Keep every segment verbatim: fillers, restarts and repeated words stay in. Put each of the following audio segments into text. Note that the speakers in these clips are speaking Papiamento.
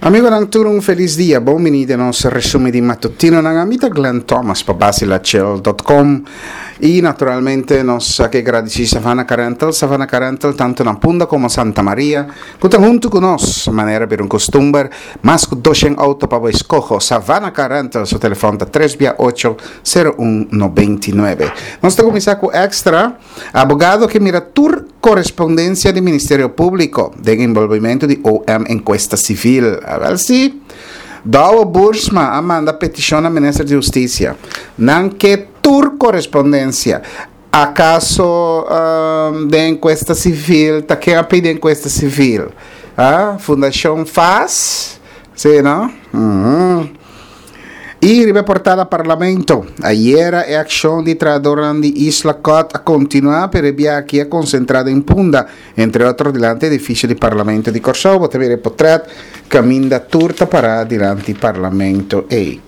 Amigonan tur, un felis dia. Bon bini den nos resumen di matutinonan. Ami ta Glenn Thomas pa Basilachel punto com. Y naturalmente nos ke gradisí Savannah Car Rental, Savannah Car Rental tantu na Punda komo Santa Maria, ku ta huntu ku nos, manera bira un kustumber, mas ku doshen outo pa bo eskoho. Savannah Car Rental, su telefòn ta tres bia ocho, sero un, noventa i nuebe. Nos ta kuminsá ku Extra, abogado ke mira tur korespondensia di Ministerio Públiko den enbolbimentu di O M enkuesta sivil. Awèl si, Douwe Boersma a manda petishon na Minister di Hustisia. Nan ke tur korespondensia. Akaso um, den enkuesta sivil, ta ken a pidi enkuesta sivil? Ah, Fundashon FAS? Sí, no? Mm-hmm. I riba portada Parlamento. Ayera e akshon di trahadónan di Isla Cot a kontinuá, pero e biaha aki a konsentrá den Punda, entre otro dilanti edifisio di Parlamento di Kòrsou. Bo ta mira e potrèt kaminda tur ta pará dilanti Parlamento ei.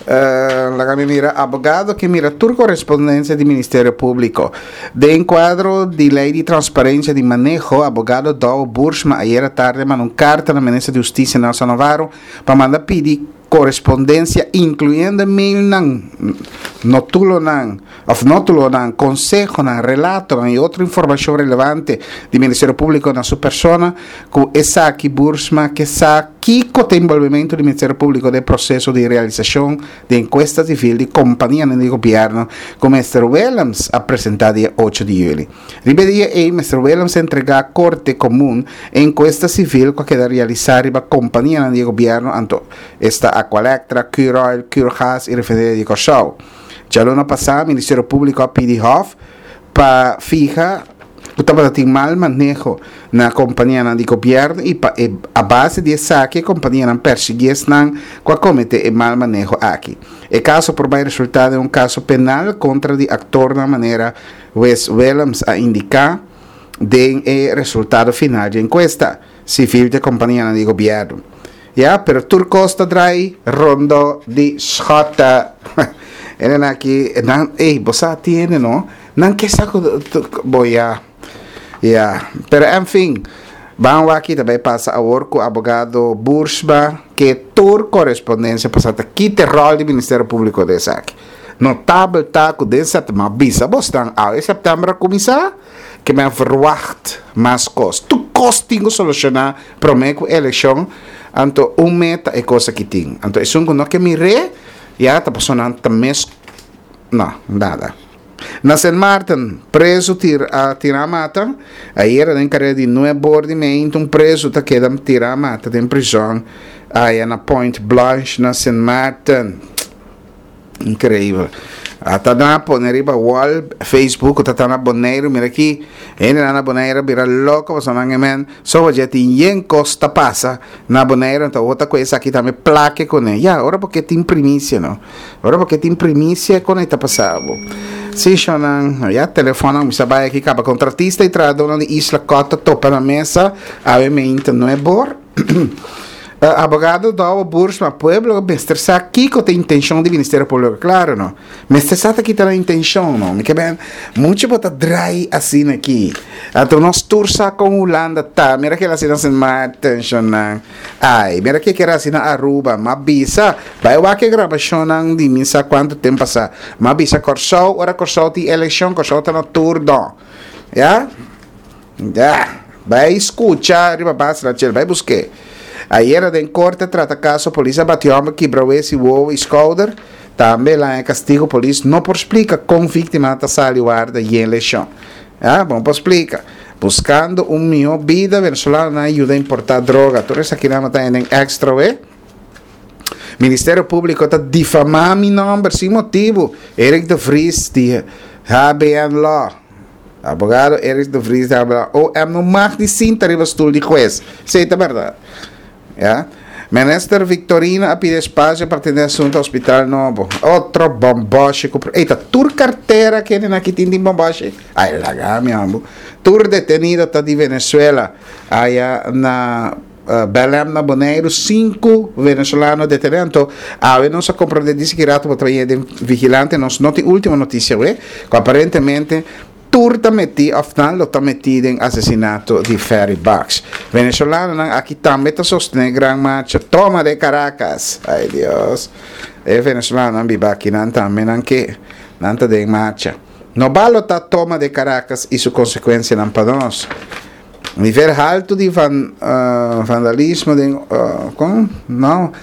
Uh, laga mi mira, abogado ke mira tur korespondensia di Ministerio Públiko. Den kuadro di lei di transparensia di maneho, abogado Douwe Boersma ayera tardi a manda un karta na Minister di Hustisia Nelson Navarro pa manda pidi korespondensia inkluyendo mailnan, notulonan, òf notulonan, konsehonan, relatonan i otro informashon relevante di Ministerio Públiko na su persona. Ku esaki Boersma ke sa kiko ta enbolbimentu di Ministerio Públiko den proseso di realisashon di enkuesta sivil di kompanianan di gobièrnu ku Mister Willems a presentá dia ocho di yüli. Riba e dia ei Mister Willems a entregá Korte Komun e enkuesta sivil ku a keda realisá riba kompanianan di gobièrnu, anto esta Aqualectra, Curoil, Curgas i Refineria di Kòrsou. Djaluna pasá Ministerio Públiko a pidi Hof pa fiha ku tabata tin mal maneho na kompanianan di gobièrnu i pa e a base di esaki e kompanianan persiguí esnan ku a kometé e mal maneho aki. E kaso por bai resultá den un kaso penal kontra di aktornan, manera Wes Willems a indiká den e resultado final dje enkuesta sivil dje kompanianan di gobièrnu. Ya, pero tur kos ta drai rondo di Schotte. Enen aki, nan, ey, bo sa tiene, no? Nan ke sa ku bo ya. Ya, pero en fin, ban wak ki ta bai pasa awor ku abogado Boersma ke tur korespondensia pasá ta kita e ròl di Ministerio Públiko den esaki. Notabel ta ku den sèptèmber, m'a bisa bosnan, awe sèptèmber a kuminsá, ke men verwacht mas kos. Tur kos tin ku solushoná promé ku elekshon, anto un meta e kos aki tin. Anto esun ku no ke mir'é, ya ta pasobra nan ta mes, no, nada. Na Sint Maarten, prezu tir a tirá mata. Ayera den kareda di nuebe or di meinta un prezu ta keda tirá mata den prizòn aya na Point Blanche na Sint Maarten. Increíbel. Ata nan a pone riba wall Facebook ku ta ta na Boneiru. Mira aki, hendenan na Boneiru a bira loko pasobra nan e men soba dje tin yen kos ta pasa na Boneiru, anto awor ta ku esaki tambe plake kuné. Ya, ora bo ke tin primisia no. Ora bo ke tin primisia kon e ta pasa bo. Sí, shonnan, ya telefonnan kuminsá bai aki kaba. Kontratista i trahadónan di Isla Kòt ta topa na mesa awe meinta nuebor. Abogado Douwe Boersma, Pueblo mester sa kiko ta intenshon di Ministerio Públiko. Klaro no. Mester sa ta kita nan intenshon no. Mi ke ben muchu bo ta drai asina aki. Anto nos tur sa kon Hulanda ta. Mira kila asina Sint Maarten shonnan. Ai, mira ke kera asina Aruba. M'a bisa, bai wak e grabashonnan di mi sa kuantu tempu pasá. M'a bisa Kòrsou, ora Kòrsou tin elekshon, Kòrsou ta na turno. Ya? Ya. Bai skucha riba base na chel, bai busk'é. Ayera den korte a trata kaso polis a bati hòmber kibra wes i wowo i skouder. Tambe el haña kastigo polis no por splika kon víktima ta sali warda yen leshon. Ya, bo no por splika. Buskando un mihó bida venezolanonan a yuda importá droga. Tur esakinan bo ta haña den Extra we. Ministerio Públiko ta difamá mi nòmber sin motibu, Eric de Vries di H B N Law. Abogado Eric de Vries ta habla, O M no mag di sinta riba stul di hues. Esei ta bèrdat. Ya. Minister Victorino a pidi espasio pa atendé asuntu hospital nobo. Otro bòmbòshi ku. Ey, ta tur kartera kende aki tin tin bòmbòshi? Ai, laga mi ambu. Tur detenido ta di Venezuela. Aya na uh, Belém na Boneiru, sinku venezolano detené. Anto, awe nos a komprondé disi ki rato bo trae den Vigilante, nos no tin último notisia, we, ku aparentemente Tur ta metí òf nan lo ta metí den asesinato di Ferry Bakx. Venezolanonan aki tambe ta sostené gran marcha Toma de Caracas. Ay Dios. E venezolanonan biba aki nan tambe nan ke nan ta den marcha. No balotá Toma de Caracas i su konsekuensianan pa nos. Nivel haltu di van, uh, vandalismo den uh, kon? No.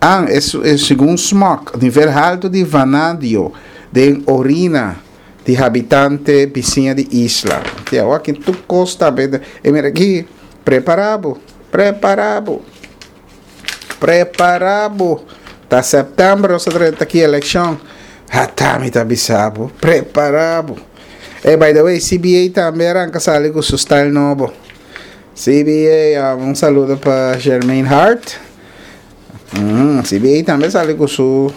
Ah, e, e segun SMOC, nivel haltu di vanadio den orina di habitante bisiña di Isla. Tia, aki tur kos ta e mira aki, prepará bo, prepará bo. Prepará bo. Ta sèptèmber, nos ta aki elekshon. Ata mi ta bisa bo. Prepará bo. E by the way, C B A tambe a ranka sali ku su style nobo. C B A, um, un saludo pa Jermaine Hart. Mm, C B A tambe a sali ku su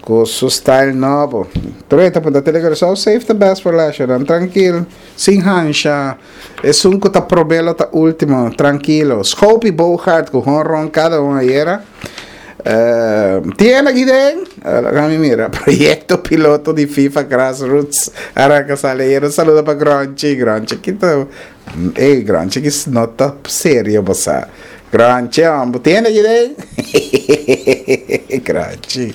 ku su style nobo. Treta pa Telegram, save the best for last, trankil, sin hansha. Esun ku ta promé lo ta último, trankil. Schoopie Bogart ku honron kada un ayera. Uh, tiene aki den, uh, mira, proyekto piloto di FIFA Grassroots. A ranka sali. Un saludo pa Gronchi, Gronchi, ku ta, ei, Gronchi, ku no ta serio, bo. Gronchi, hombre, tiene aki den? Gronchi.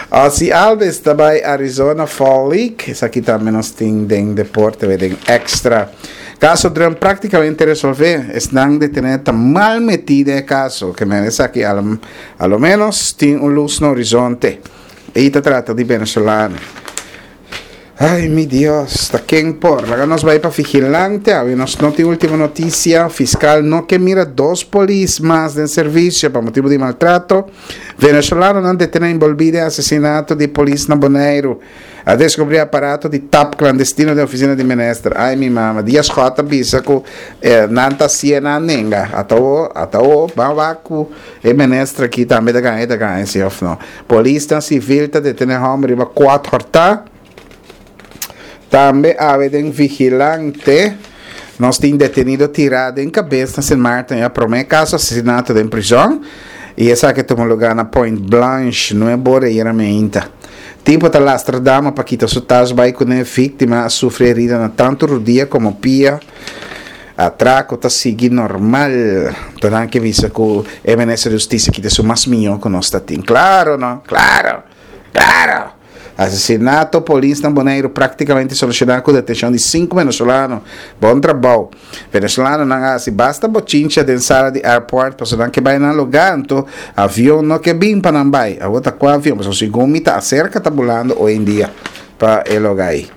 Ozzie Albies ta bai Arizona Fall League. Esaki tambe nos tin den deporte, den extra. Kaso Drum práktikamente resolvé. Esnan detené ta mal metí den kaso. Ke men esaki a, a lo menos tin un lus na horizonte. I ta trata di venezolano. Ay, mi Dios, ta ken por. Laga nos bai pa Vigilante. Awe nos no tin último notisia. Fiskal no ke mira dos polis mas den servisio pa motibu di maltrato. Venezolanonan detené enbolbí den asesinato di polis na Boneiru. A deskubrí aparato di tap klandestino den ofisina di minister. Ay, mi mama. Dias J bisa ku eh, nan ta siena nenga. Ata o, ata o, ban ku e minister aki tambe ta gaña, ta gaña, si òf no. Polis sivil ta detené hòmber riba kuater ta. Tambe awe den Vigilante nos tin detenido tirá den kabes na Sint Maarten, e promé kaso asesinato den prizòn. I esaki a tuma lugá na Point Blanche, nuebe or mainta. Tipo ta lastra dama pa kita su tas bai kuné. Víktima a sufri herida na tantu rudia komo pia. Atrako ta sigui normal. Anto ke bisa ku e minister di hustisia ku ta mas mihó ku nos tin. Klaro, no? Klaro. Klaro. Asesinato polis na Boneiru práktikamente solushoná ku detenshon di sinku venezolano. Bon trabou. Venezolanonan a hasi basta bochincha den sala di airport, pasobra nan ke bai nan lugá, anto avion no ke bin pa nan bai. Awor ta kua avion, pasobra segun mi ta aserka ta bulando hoi en dia pa e lugá ei.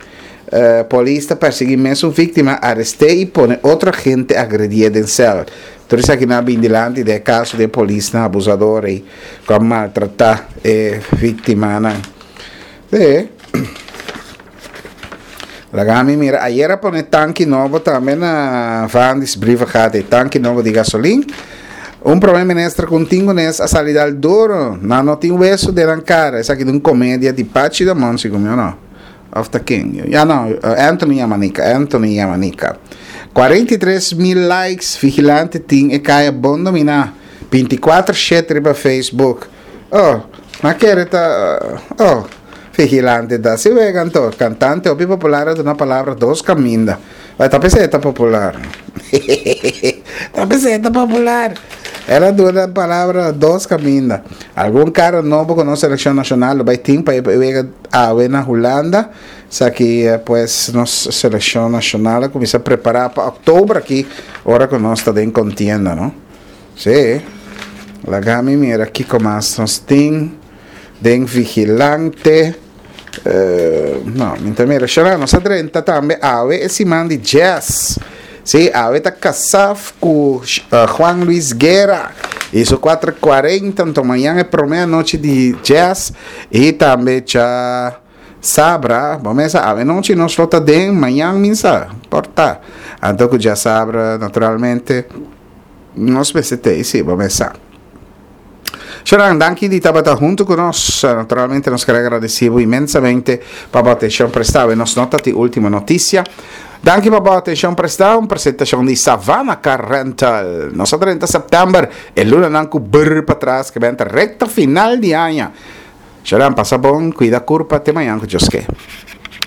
Uh, polis ta persiguí mesun víktima, arestá i pone otro agente agredié den sèl. Tur esaki a bin dilanti den kaso di polis na abusador i ku a maltratá e víktimanan. E. Laga mi mira, ayera a pone tanki nobo tambe na Vanddis Brievengat, tanki nobo di gasolin. Un promé minister ku tingones a sali dal duru, nan no tin wesu den kara. Esaki ta un komedia di Pachi da Monsi, komo no? Of the King. Ja, no, Anthony Yamanika, Anthony Yamanika. kuarenta i tres mil likes, Vigilante tin e kaya bon dominá. bintikuater shete riba Facebook. Oh, ma kere ta, oh, Vigilante da si vegan to. Kantante hopi popular ta na palabra dos kaminda. Bai ta pensando ta popular. Ta pensando popular. El a duna palabra dos kaminda. Algun kara nobo ku nos selekshon nashonal bai tin pa wega awe na Hulanda. Esaki, pues, nos selekshon nashonal a kuminsá prepará pa òktober aki, ora ku nos ta den kontienda, no? Si. Laga mi mira kiko mas nos tin den Vigilante. Uh, no, mi mira, xará, nos a drenta tambe awe e siman di jazz. Si, awe ta Kasaf ku uh, Juan Luis Guerra. Iso kuater kuarenta, anto mañan e promé anochi di jazz i tambe djasabra, ban mesa, awe nochi nos lo ta den, mañan misa, porta. Anto ku djasabra, naturalmente, nos P C T, si, ban mesa. Sharon, danki di tabata huntu ku nos. Naturalmente, nos ke gradisí inmensamente pa e atenshon prestá. Nos no tin último notisia. Danki pa e atenshon prestá. Un presentashon di Savannah Car Rental. Nos trinta sèptèmber, e lunanan ku brr patras, ku ta bin rekta final di aña. Sharon, pasa bon, kuida kurpa, te mañan ku Dios ke.